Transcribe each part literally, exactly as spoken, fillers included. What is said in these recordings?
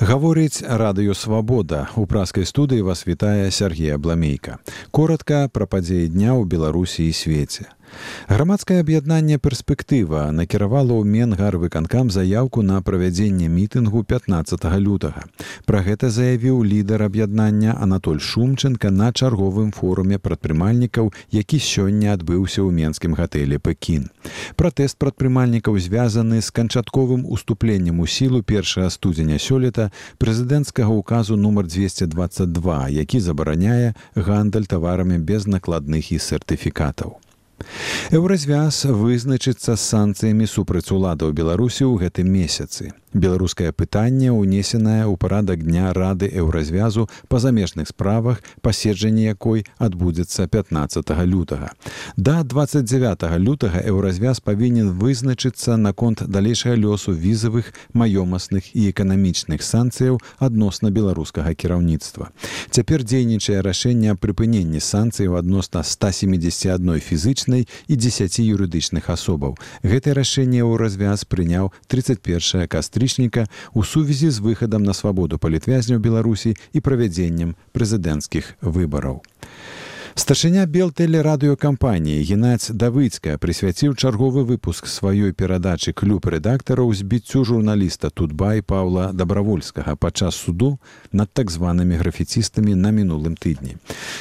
Гаворыць радыё «Свабода». У праскай студыі вас вітае Сергей Абламейка. Коратка пра падзеі дня ў Беларусі і свеце. Грамадскае аб'яднанне «Перспектыва» накіравала ў Менгарвыканкам заяўку на правядзенне мітынгу пятнаццатага лютага. Пра гэта заявіў лідар аб'яднання Анатоль Шумченко на чарговым форуме прадпрымальнікаў, які сёння адбыўся ў менскім гатэлі «Пекін». Пратэст прадпрымальнікаў звязаны з канчатковым уступленнем у сілу першага студзеня сёлета прэзідэнцкага ўказу нумар дзвесце дваццаць два, які забараняе гандаль таварамі без накладных і сертыфікатаў. Еўразвяз вызначыцца з санкцыямі супраць уладаў Беларусі ў гэтым месяцы. Беларускае пытанне ўнесенае ў парадак дня Рады Еўразвязу па замежных справах, паседжанне якой адбудзецца пятнаццатага лютага. Да дваццаць дзявятага лютага Еўразвяз павінен вызначыцца наконт далейшага лёсу візавых, маёмасных і эканамічных санкцыяў адносна беларускага кіраўніцтва. Цяпер дзейнічае рашэнне аб прыпыненні санкцыяў адносна ста сямідзесяці адной фізычнай і дзесяці юрыдычных асобаў. Гэтае рашэнне Еўразвяз прыняў трыццаць першага кастрычніка у сувязі з выхадам на свабоду палітвязняў Беларусі і правядзеннем прэзідэнцкіх выбараў. Старшыня Белтэлерадыёкампаніі Геннадзь Давыцка прысвяціў чарговы выпуск сваёй перадачы «Клуб рэдактараў» збіццю журналіста Тутбай Паўла Дабравольскага падчас суду над так званымі графіцістамі на мінулым тыдні.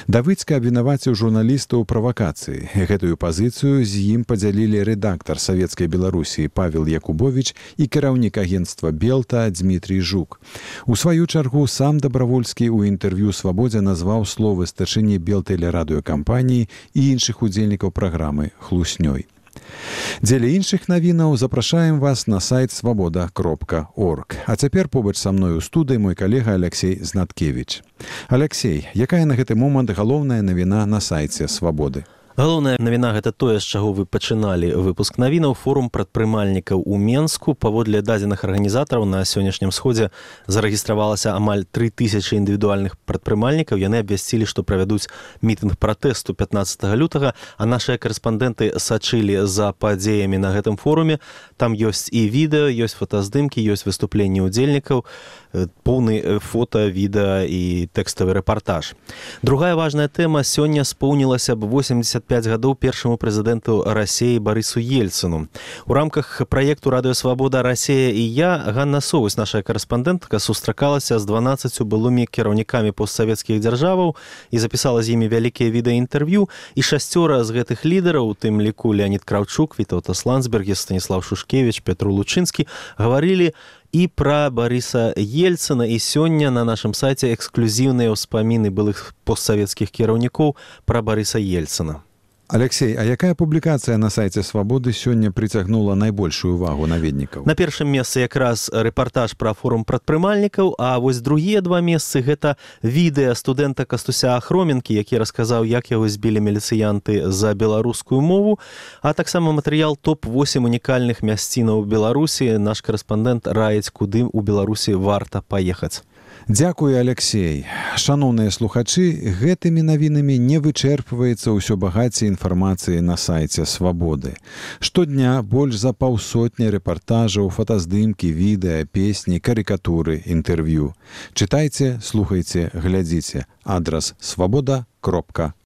Давыцка абвінаваціў журналіста ў правакацыі. Гэтую пазіцыю з ім падзялілі рэдактар Савецкай Беларусі Павел Якубович і кіраўнік агенцтва «Белта» Дмітрий Жук. У сваю чаргу сам Дабравольскі ў інтэрв'ю «Свабодзе» назваў словы старшыні Белтэлерадыёкампаніі кампаніі і іншых удзельнікаў праграмы хлуснёй. Дзеля іншых навінаў запрашаем вас на сайт свабода кропка орг. А цяпер побач са мной у студыі мой калега Алексей Знаткевич. Алексей, якая на гэты момант галоўная навіна на сайце «Свабоды»? Галоўная навіна – гэта тое, з чаго вы пачыналі выпуск навінаў. Форум прадпрымальнікаў у Менску. Паводле дадзеных арганізатараў на сённяшнім сходзе зарэгістравалася амаль тры тысячы індывідуальных прадпрымальнікаў. Яны абвясцілі, што правядуць мітынг пратэсту пятнаццатага лютага, а нашыя корэспандэнты сачылі за падзеямі на гэтым форуме. Там ёсць і відэо, ёсць фотаздымкі, ёсць выступленні ўдзельнікаў, поўны фота, відэа і тэкставы рэпартаж. Другая важная тэма. Сёння споўнілася б восемдзесят пяць гадоў першаму прэзідэнту Расіі Барысу Ельцыну. У рамках праекту «Радыё Свабода. Расія і я» Ганна Совусь, наша корэспандэнтка, сустракалася з дванаццаццю былымі кіраўнікамі постсавецкіх дзяржаваў і запісала з імі вялікія відэаінтэрв'ю. І шасцёра з гэтых лідараў, у тым ліку Леонід Краўчук, Вітаўтас Ландсбергіс, Станіслав Шушкевіч, Петру Лучынскі, гаварылі і пра Барыса Ельцына. І сёння на нашым сайце эксклюзіўныя ўспаміны былых постсавецкіх кіраўнікоў пра Барыса Ельцына. Алексей, а якая публікацыя на сайце «Свабоды» сёння прыцягнула найбольшую увагу наведнікаў? На першым месцы якраз рэпартаж пра форум прадпрымальнікаў, а вось другія два месцы – гэта відэа студэнта Кастуся Ахроменкі, які расказаў, як яго збілі міліцыянты за беларускую мову, а таксама матэрыял топ восем унікальных мясцінаў Беларусі. Наш корэспандэнт раіць, куды ў Беларусі варта паехаць. Дзякуй, Алексей. Шаноўныя слухачы, гэтымі навінамі не вычэрпваецца ўсё багацце інфармацыі на сайце «Свабоды». Штодня больш за паўсотні рэпартажаў, фотаздымкі, відэа, песні, карыкатуры, інтэрв'ю. Чытайце, слухайце, глядзіце. Адрас свабода кропка